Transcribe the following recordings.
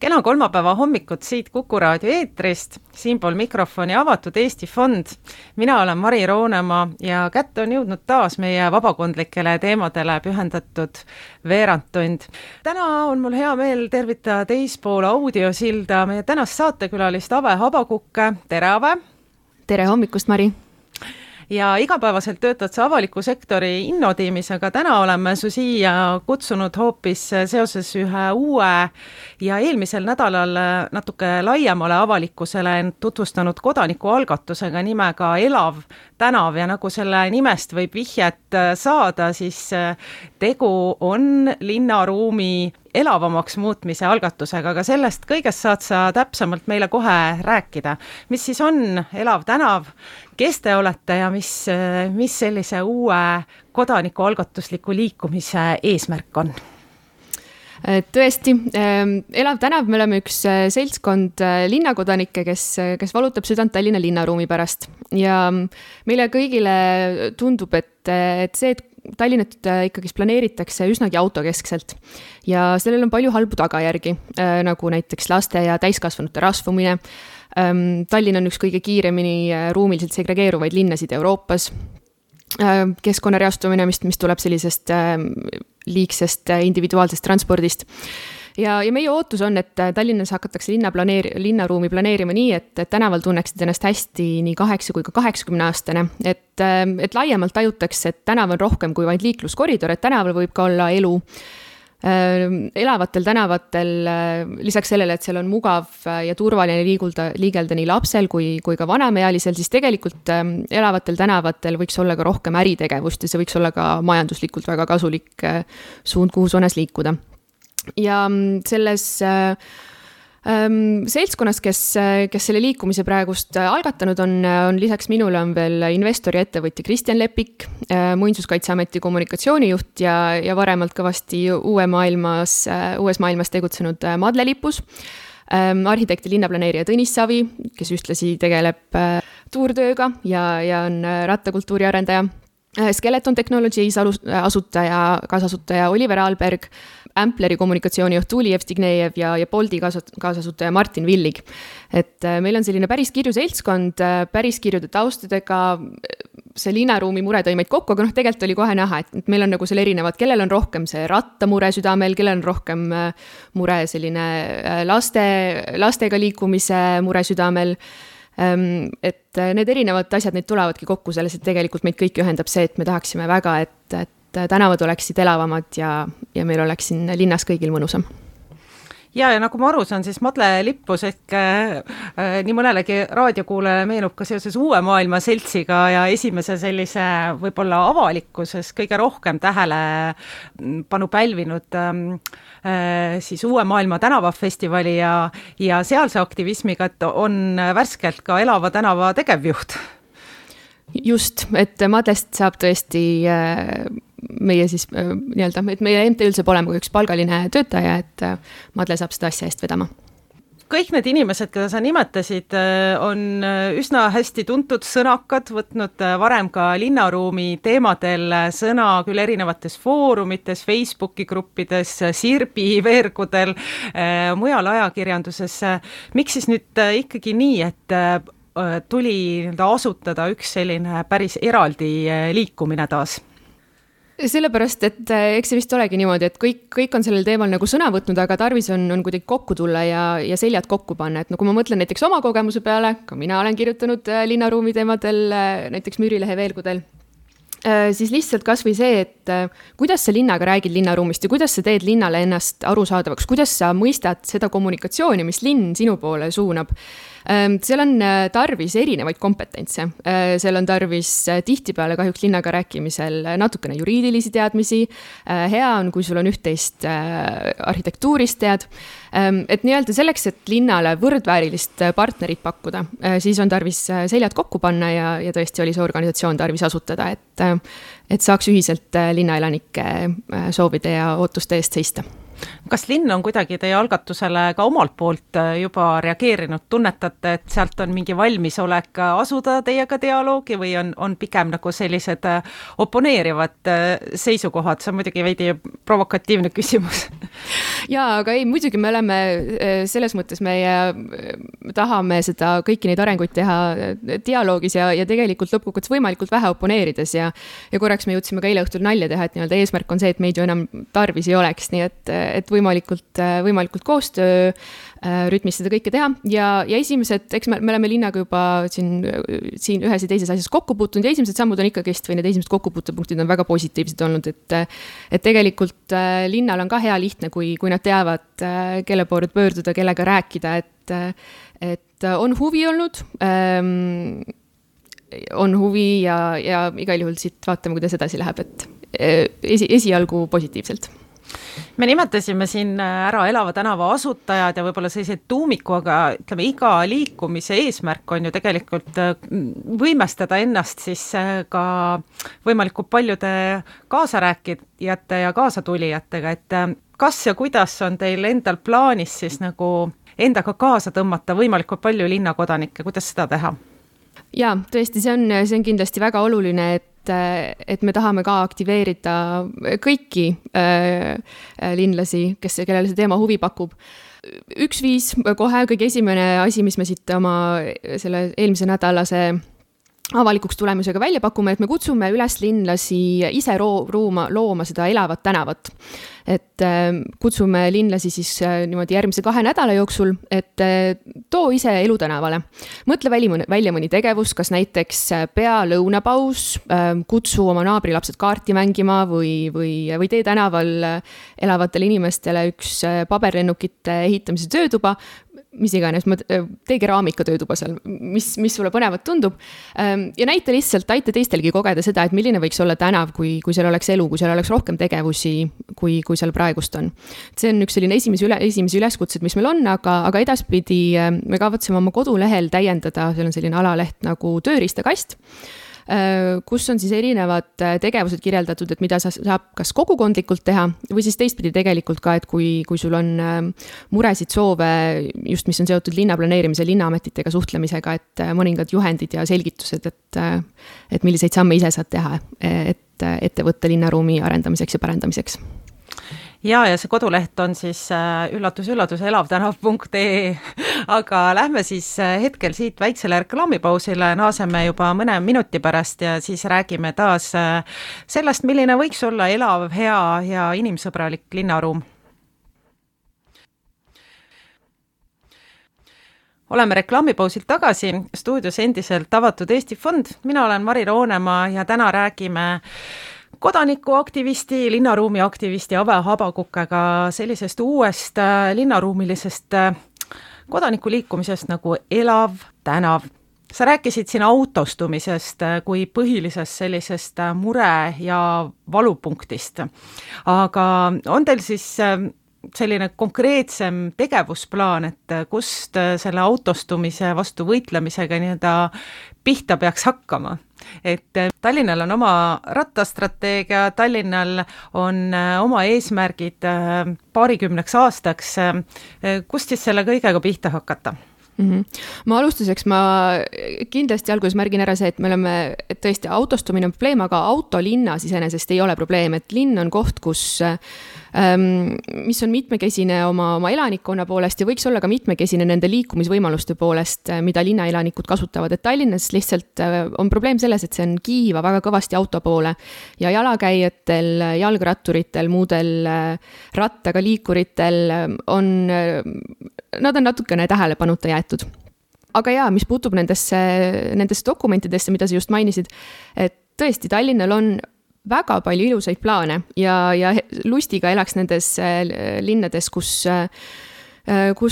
Kena kolmapäeva hommikut siit Kuku raadio eetrist, siinpool mikrofoni avatud Eesti Fond. Mina olen Mari Roonemaa ja kätte on jõudnud taas meie vabakondlikele teemadele pühendatud veerandtund. Täna on mul hea meel tervitada teispool audiosilda meie tänast saatekülalist Ave Habakukke. Tere, Ave! Tere hommikust, Mari! Ja igapäevaselt töötad sa avaliku sektori innotiimis, aga täna oleme su siia kutsunud hoopis seoses ühe uue ja eelmisel nädalal natuke laiemale avalikkusele tutvustanud kodanikualgatusega nimega Elav tänav ja nagu selle nimest võib vihjet saada, siis tegu on linnaruumi elavamaks muutmise algatusega, aga sellest kõigest saad sa täpsemalt meile kohe rääkida. Mis siis on Elav tänav, kes te olete ja mis sellise uue kodanikualgatusliku liikumise eesmärk on? Tõesti, Elav tänav, me oleme üks seltskond linnakodanikke, kes valutab südant Tallinna linnaruumi pärast. Ja meile kõigile tundub, et see, et Tallinnat ikkagi planeeritakse üsnagi autokeskselt ja sellel on palju halbu tagajärgi, nagu näiteks laste ja täiskasvanute rasvumine. Tallinn on üks kõige kiiremini ruumiliselt segregeeruvaid linnasid Euroopas. Keskkonnareastumine, mis tuleb sellisest liigsest individuaalsest transpordist. Ja meie ootus on, et Tallinnas hakatakse linnaruumi planeerima nii, et tänaval tunneksid ennast hästi nii 8 kui ka 80-aastane, et laiemalt tajutakse, et tänav on rohkem kui vaid liikluskoridor, et tänaval võib ka olla elu. Elavatel tänavatel, lisaks sellele, et seal on mugav ja turvaline liigelda nii lapsel kui ka vanemaealisel, siis tegelikult elavatel tänavatel võiks olla ka rohkem äritegevust ja see võiks olla ka majanduslikult väga kasulik suund, kuhu suunas liikuda. Ja selles seltskonnas, kes selle liikumise praegust algatanud on lisaks minule on veel investori ettevõtja Kristjan Lepik, Muinsuskaitseameti kommunikatsioonijuht ja varemalt kõvasti uues maailmas tegutsenud Madle Lipus, arhitekti linnaplaneerija Tõnis Savi, kes ühtlasi tegeleb tuurtööga ja on rattakultuuri arendaja, Skeleton Technologies kaasasutaja Oliver Alberg, Ampleri kommunikatsioonijuht Tuuli Evstignejev ja Bolti kaasasutaja Martin Villig. Et meil on selline päris kirju seltskond, päris kirjude taustadega, see linnaruumi mure tõi meid kokku, aga tegelikult oli kohe näha, et meil on nagu seal erinevad, kellel on rohkem see rattamure südamel, kellel on rohkem mure selline lastega liikumise mure südamel. Et need erinevad asjad, need tulevadki kokku selles, et tegelikult meid kõik ühendab see, et me tahaksime väga, et tänavad oleksid elavamad ja meil oleks siin linnas kõigil mõnusam. Ja nagu ma aru saan, siis Madle Lippus ehk nii mõnelegi raadiokuulele meenub ka seoses uue maailma seltsiga ja esimese sellise võib-olla avalikkuses kõige rohkem tähelepanu pälvinud siis uue maailma tänavafestivali ja sealse aktivismiga, et on värskelt ka Elava tänava tegevjuht. Just, et Madlest saab tõesti meie siis nii-öelda, et meie MTÜ-l saab olema üks palgaline töötaja, et Madle saab seda asja eest vedama. Kõik need inimesed, keda sa nimetasid, on üsna hästi tuntud sõnakad, võtnud varem ka linnaruumi teemadel sõna küll erinevates foorumites, Facebooki gruppides, Sirbi veergudel, mujal ajakirjanduses. Miks siis nüüd ikkagi nii, et tuli asutada üks selline päris eraldi liikumine taas? Sellepärast, et eks see vist olegi niimoodi, et kõik on sellel teemal nagu sõna võtnud, aga tarvis on kuidagi kokku tulla ja seljad kokku panna. Et kui ma mõtlen näiteks oma kogemuse peale, ka mina olen kirjutanud linnaruumi teemadel, näiteks Müürilehe veelgudel, siis lihtsalt kas või see, et kuidas sa linnaga räägid linnaruumist ja kuidas sa teed linnale ennast arusaadavaks, kuidas sa mõistad seda kommunikatsiooni, mis linn sinu poole suunab. Seal on tarvis erinevaid kompetentse. Seal on tarvis tihtipeale kahjuks linnaga rääkimisel natukene juriidilisi teadmisi. Hea on, kui sul on üht-teist arhitektuurist tead. Et nii-öelda selleks, et linnale võrdväärilist partnerit pakkuda, siis on tarvis seljad kokku panna ja tõesti oli see organisatsioon tarvis asutada, et saaks ühiselt linnaelanike soovide ja ootuste eest seista. kas linn on kuidagi teie algatusele ka omalt poolt juba reageerinud, tunnetate, et sealt on mingi valmisolek asuda teiega dialoogi või on pigem nagu sellised oponeerivad seisukohad, see on muidugi veidi provokatiivne küsimus? Jaa, aga ei, muidugi me oleme selles mõttes, tahame seda kõiki neid arenguid teha dialoogis ja tegelikult lõpuks võimalikult vähe oponeerides ja korraks me jõudsime ka eile õhtul nalja teha, et nii-öelda eesmärk on see, et meid ju enam tarvis ei oleks, nii et võimalikult koostöö rütmis seda kõike teha ja esimesed, eks me oleme linnaga juba siin ühes ja teises asjas kokku puutunud ja esimesed sammud on ikkagist või need esimesed kokkupuutepunktid on väga positiivsed olnud, et tegelikult linnal on ka hea lihtne, kui nad teavad, kelle poole pöörduda, kellega rääkida, et on huvi olnud, ja igal juhul siit vaatame, kuidas edasi läheb, et esialgu positiivselt. Me nimetasime siin ära Elava tänava asutajad ja võib-olla selliseid tuumiku, aga ütleme, iga liikumise eesmärk on ju tegelikult võimestada ennast siis ka võimalikult paljude kaasarääkijate ja kaasatulijatega, et kas ja kuidas on teil endal plaanis siis nagu endaga kaasa tõmmata võimalikult palju linnakodanikke, kuidas seda teha? Jaa, tõesti, see on kindlasti väga oluline, et me tahame ka aktiveerida kõiki linlasi, kellele see teema huvi pakub. Üks viis kohe kõige esimene asi, mis me siit oma selle eelmise nädalase avalikuks tulemusega välja pakume, et me kutsume üles linlasi ise looma seda elavat tänavat. Et kutsume linlasi siis niimoodi järgmise 2 nädala jooksul, et too ise elutänavale. Mõtle välja mõni tegevus, kas näiteks pea lõunapaus, kutsu oma naabrilapsed kaarti mängima või tee tänaval elavatele inimestele üks paberlennukite ehitamise töötuba, mis iganes, tee keraamika töötuba seal, mis sulle põnevat tundub. Ja näita lihtsalt, aita teistelgi kogeda seda, et milline võiks olla tänav, kui seal oleks elu, kui seal oleks rohkem tegevusi, kui seal praegust on. See on üks selline esimesi üleskutsed, mis meil on, aga edaspidi me kavatseme oma kodulehel täiendada, seal on selline alaleht nagu tööriistakast, kus on siis erinevad tegevused kirjeldatud, et mida saab kas kogukondlikult teha või siis teistpidi tegelikult ka, et kui sul on muresid, soove, just mis on seotud linnaplaneerimise, linnaametitega suhtlemisega, et mõningad juhendid ja selgitused, et milliseid samme ise saad teha, et ettevõtte linnaruumi arendamiseks ja parendamiseks. Ja see koduleht on siis üllatus, elavtänav.ee, aga lähme siis hetkel siit väiksele reklaamipausile, naaseme juba mõne minuti pärast ja siis räägime taas sellest, milline võiks olla elav, hea ja inimsõbralik linnaruum. Oleme reklaamipausilt tagasi, stuudios endiselt avatud Eesti Fond, mina olen Mari Roonemaa ja täna räägime kodanikuaktivisti, linnaruumi aktivisti Ave Habakukega sellisest uuest linnaruumilisest kodanikuliikumisest nagu elav tänav. Sa rääkisid siin autostumisest kui põhilisest sellisest mure- ja valupunktist, aga on teil siis selline konkreetsem tegevusplaan, et kust selle autostumise vastu võitlemisega nii-öelda pihta peaks hakkama? Et Tallinnal on oma rattastrateegia, Tallinnal on oma eesmärgid 20 aastaks. Kust siis selle kõigega pihta hakata? Ma alustuseks, ma kindlasti alguses märgin ära see, et me oleme, et tõesti autostumine on probleem, aga autolinnas iseenesest ei ole probleem, et linn on koht, mis on mitmekesine oma elanikkonna poolest ja võiks olla ka mitmekesine nende liikumisvõimaluste poolest, mida linnaelanikud kasutavad, et Tallinnas lihtsalt on probleem selles, et see on kiiva väga kõvasti auto poole ja jalakäijatel, jalgratturitel, muudel rattaga liikuritel nad on natukene tähelepanuta jäetud. Aga jaa, mis puutub nendesse dokumentidesse, mida sa just mainisid, et tõesti Tallinnal on väga palju ilusaid plaane ja lustiga elaks nendes linnades, kus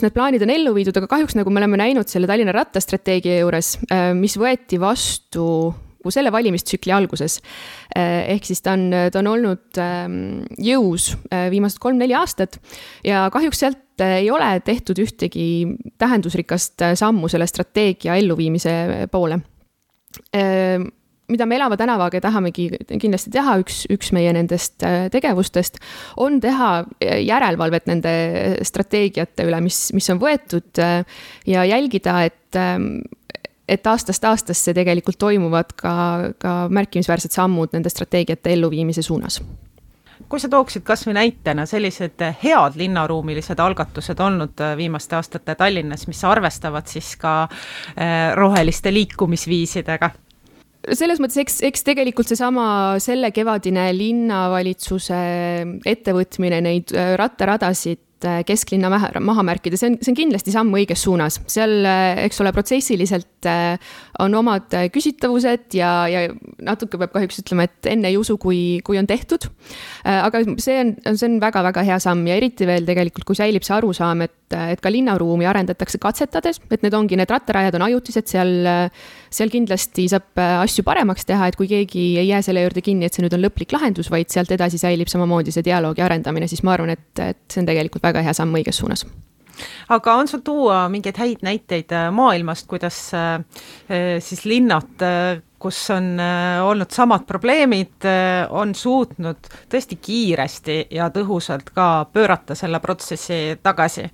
need plaanid on ellu viidud, aga kahjuks nagu me oleme näinud selle Tallinna rattastrateegia juures, mis võeti vastu selle valimistsükli alguses. Ehk siis ta on olnud jõus viimased 3-4 aastat ja kahjuks sealt ei ole tehtud ühtegi tähendusrikast sammu selle strateegia elluviimise poole. mida me Elava tänavaga tahamegi kindlasti teha, üks meie nendest tegevustest, on teha järelevalvet nende strateegiate üle, mis on võetud ja jälgida, et aastast aastasse tegelikult toimuvad ka märkimisväärsed sammud nende strateegiate elluviimise suunas. Kui sa tooksid kas või näitena sellised head linnaruumilised algatused olnud viimaste aastate Tallinnas, mis arvestavad siis ka roheliste liikumisviisidega? Selles mõttes, eks tegelikult selle kevadine linnavalitsuse ettevõtmine neid rattaradasid kesklinna maha märkida, see on kindlasti samm õiges suunas. Seal, eks ole, protsessiliselt on omad küsitavused ja natuke peab kahjuks ütlema, et enne ei usu, kui on tehtud. Aga see on väga-väga hea samm ja eriti veel tegelikult, kui säilib see arusaam, et ka linnaruumi arendatakse katsetades, et need ongi, need rattarajad on ajutised, seal kindlasti saab asju paremaks teha, et kui keegi ei jää selle juurde kinni, et see nüüd on lõplik lahendus, vaid sealt edasi säilib samamoodi see dialoogi arendamine, siis ma arvan, et see on tegelikult väga hea samm õiges suunas. Aga on sul tuua mingeid häid näiteid maailmast, kuidas siis linnad, kus on olnud samad probleemid, on suutnud tõesti kiiresti ja tõhusalt ka pöörata selle protsessi tagasi?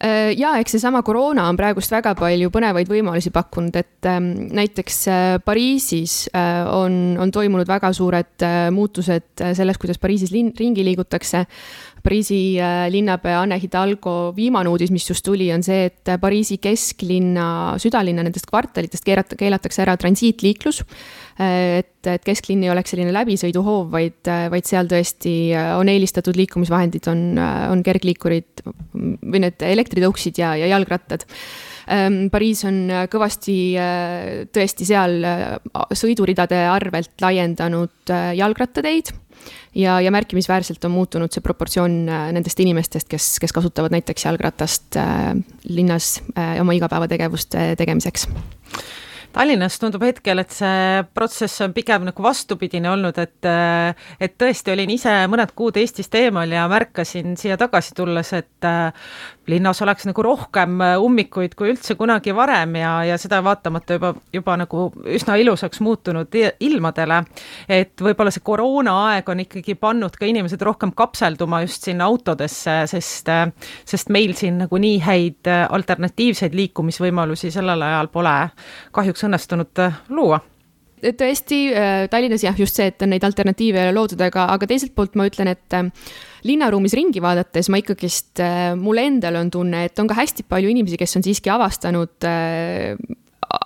Ja eks seesama koroona on praegust väga palju põnevaid võimalusi pakkunud, et näiteks Pariisis on toimunud väga suured muutused selles, kuidas Pariisis ringi liigutakse. Pariisi linnapea Anne Hidalgo viimane uudis, mis just tuli, on see, et Pariisi kesklinna, südalinna nendest kvartalitest keelatakse ära transiitliiklus, et kesklinn ei oleks selline läbisõiduhoov, vaid seal tõesti on eelistatud liikumisvahendid, on kergliikurid või need elektritõuksid ja jalgrattad. Pariis on kõvasti tõesti seal sõiduridade arvelt laiendanud jalgrattateid ja märkimisväärselt on muutunud see proportsioon nendest inimestest, kes kasutavad näiteks jalgratast linnas oma igapäevategevuste tegemiseks. Tallinnas tundub hetkel, et see protsess on pigem nagu vastupidine olnud, et tõesti olin ise mõned kuud Eestist eemal ja märkasin siia tagasi tulles, et linnas oleks nagu rohkem ummikuid kui üldse kunagi varem ja seda vaatamata juba nagu üsna ilusaks muutunud ilmadele, et võib-olla see koroona aeg on ikkagi pannud ka inimesed rohkem kapselduma just sinna autodesse, sest meil siin nagu nii häid alternatiivseid liikumisvõimalusi sellel ajal pole kahjuks õnnestunud luua. Tõesti, Tallinnas jah, just see, et on neid alternatiive loodud, aga teiselt poolt ma ütlen, et linnaruumis ringi vaadates ma ikkagist, mul endal on tunne, et on ka hästi palju inimesi, kes on siiski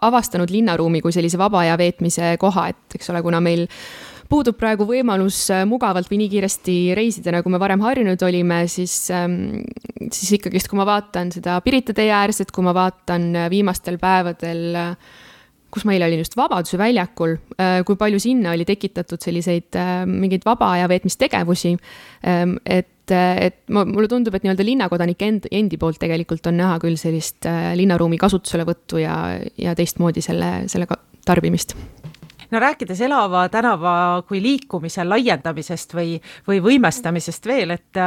avastanud linnaruumi kui sellise vaba aja veetmise koha, et eks ole, kuna meil puudub praegu võimalus mugavalt või nii kiiresti reisida, nagu me varem harjunud olime, siis ikkagist, kui ma vaatan seda Pirita tee äärset, kui ma vaatan viimastel päevadel, kus meil oli just Vabaduse väljakul, kui palju sinna oli tekitatud selliseid mingeid vaba aja veetmistegevusi, et mulle tundub, et nii-öelda linnakodanike endi poolt tegelikult on näha küll sellist linnaruumi kasutuselevõttu ja teistmoodi selle tarbimist. No rääkides Elava tänava kui liikumise laiendamisest või võimestamisest veel, et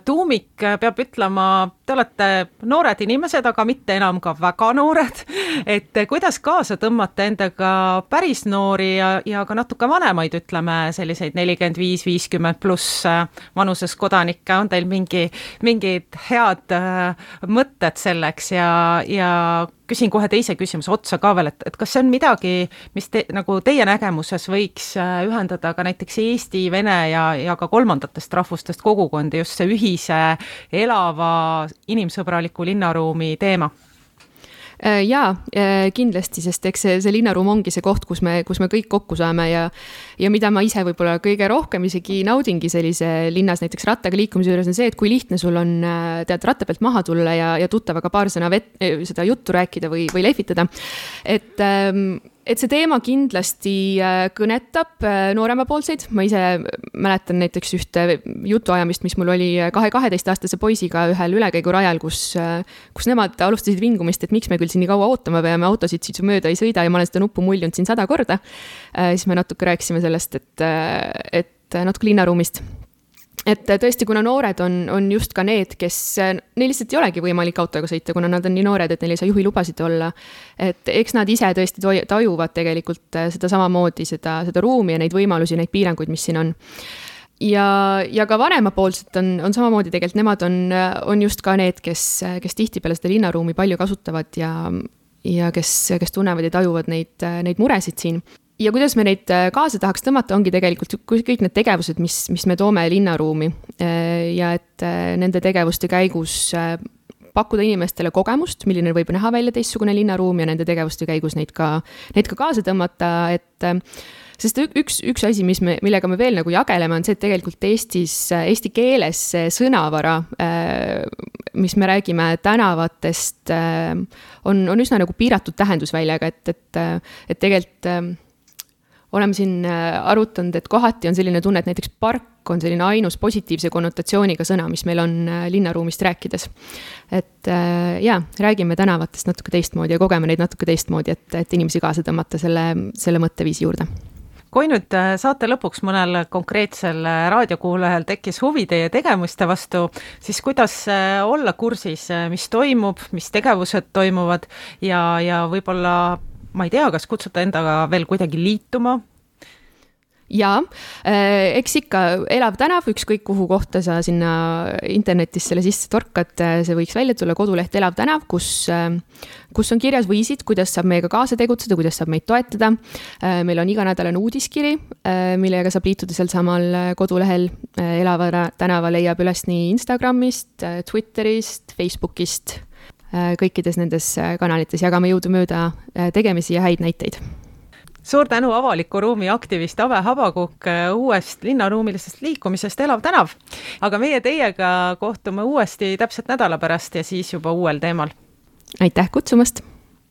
Tuumik peab ütlema, te olete noored inimesed, aga mitte enam ka väga noored, et kuidas kaasa tõmmata endaga päris noori ja ka natuke vanemaid, ütleme selliseid 45-50 pluss vanuses kodanikke, on teil mingid head mõtted selleks ja küsin kohe teise küsimuse otsa ka veel, et kas see on midagi, mis nagu teie nägemuses võiks ühendada ka näiteks Eesti, Vene ja ka kolmandatest rahvustest kogukondi, just see ühise elava inimsõbraliku linnaruumi teema? Jaa, kindlasti, sest eks see linnaruum ongi see koht, kus me kõik kokku saame ja mida ma ise võib-olla kõige rohkem isegi naudingi sellise linnas näiteks rattaga liikumise juures on see, et kui lihtne sul on ratta pealt maha tulla ja tuttavaga paar sõna seda juttu rääkida või lehvitada. Et see teema kindlasti kõnetab nooremapoolseid. Ma ise mäletan näiteks ühte jutuajamist, mis mul oli 12-aastase poisiga ühel ülekäigurajal, kus nemad alustasid vingumist, et miks me küll siin nii kaua ootama peame, autosid siit mööda ei sõida ja ma olen seda nuppu muljunud siin 100 korda. Siis me natuke rääkisime sellest, et natuke linnaruumist. et tõesti, kuna noored on just ka need, kes, neil lihtsalt ei olegi võimalik autoga sõita, kuna nad on nii noored, et neil ei saa juhilubasid olla. Et eks nad ise tõesti tajuvad tegelikult seda samamoodi, seda ruumi ja neid võimalusi, neid piiranguid, mis siin on. Ja ka vanemapoolselt on samamoodi tegelikult, nemad on just ka need, kes tihtipeale seda linnaruumi palju kasutavad ja kes tunnevad ja tajuvad neid muresid siin. Ja kuidas me neid kaasa tahaks tõmmata, ongi tegelikult kõik need tegevused, mis me toome linnaruumi ja et nende tegevuste käigus pakkuda inimestele kogemust, milline võib näha välja teistsugune linnaruum ja nende tegevuste käigus neid ka kaasa tõmmata, sest üks asi, millega me veel nagu jageleme, on see, et tegelikult eesti keeles sõnavara, mis me räägime tänavatest, on üsna nagu piiratud tähendusväljaga, et tegelikult oleme siin arutanud, et kohati on selline tunne, et näiteks park on selline ainus positiivse konnotatsiooniga sõna, mis meil on linnaruumist rääkides. Et räägime tänavatest natuke teistmoodi ja kogeme neid natuke teistmoodi, et inimesi kaasa tõmmata selle mõtteviisi juurde. Kui nüüd saate lõpuks mõnel konkreetsel raadiokuulajal tekkis huvi teie tegevuste vastu, siis kuidas olla kursis, mis toimub, mis tegevused toimuvad ja võib-olla ma ei tea, kas kutsuta endaga veel kuidagi liituma? Jaa, eks ikka elav tänav, ükskõik kuhu kohta sa sinna internetis selle sisse torkad, see võiks välja tulla koduleht Elav tänav, kus on kirjas viisid, kuidas saab meiega kaasa tegutseda, kuidas saab meid toetada. Meil on iganädalane uudiskiri, millega saab liituda seal samal kodulehel. Elava tänava leiab üles nii Instagramist, Twitterist, Facebookist, kõikides nendes kanalites jagame jõudumööda tegemisi ja häid näiteid. Suur tänu avaliku ruumi aktivist Ave Habakuk uuest linnaruumilisest liikumisest Elav tänav. Aga meie teiega kohtume uuesti täpselt nädala pärast ja siis juba uuel teemal. Aitäh kutsumast!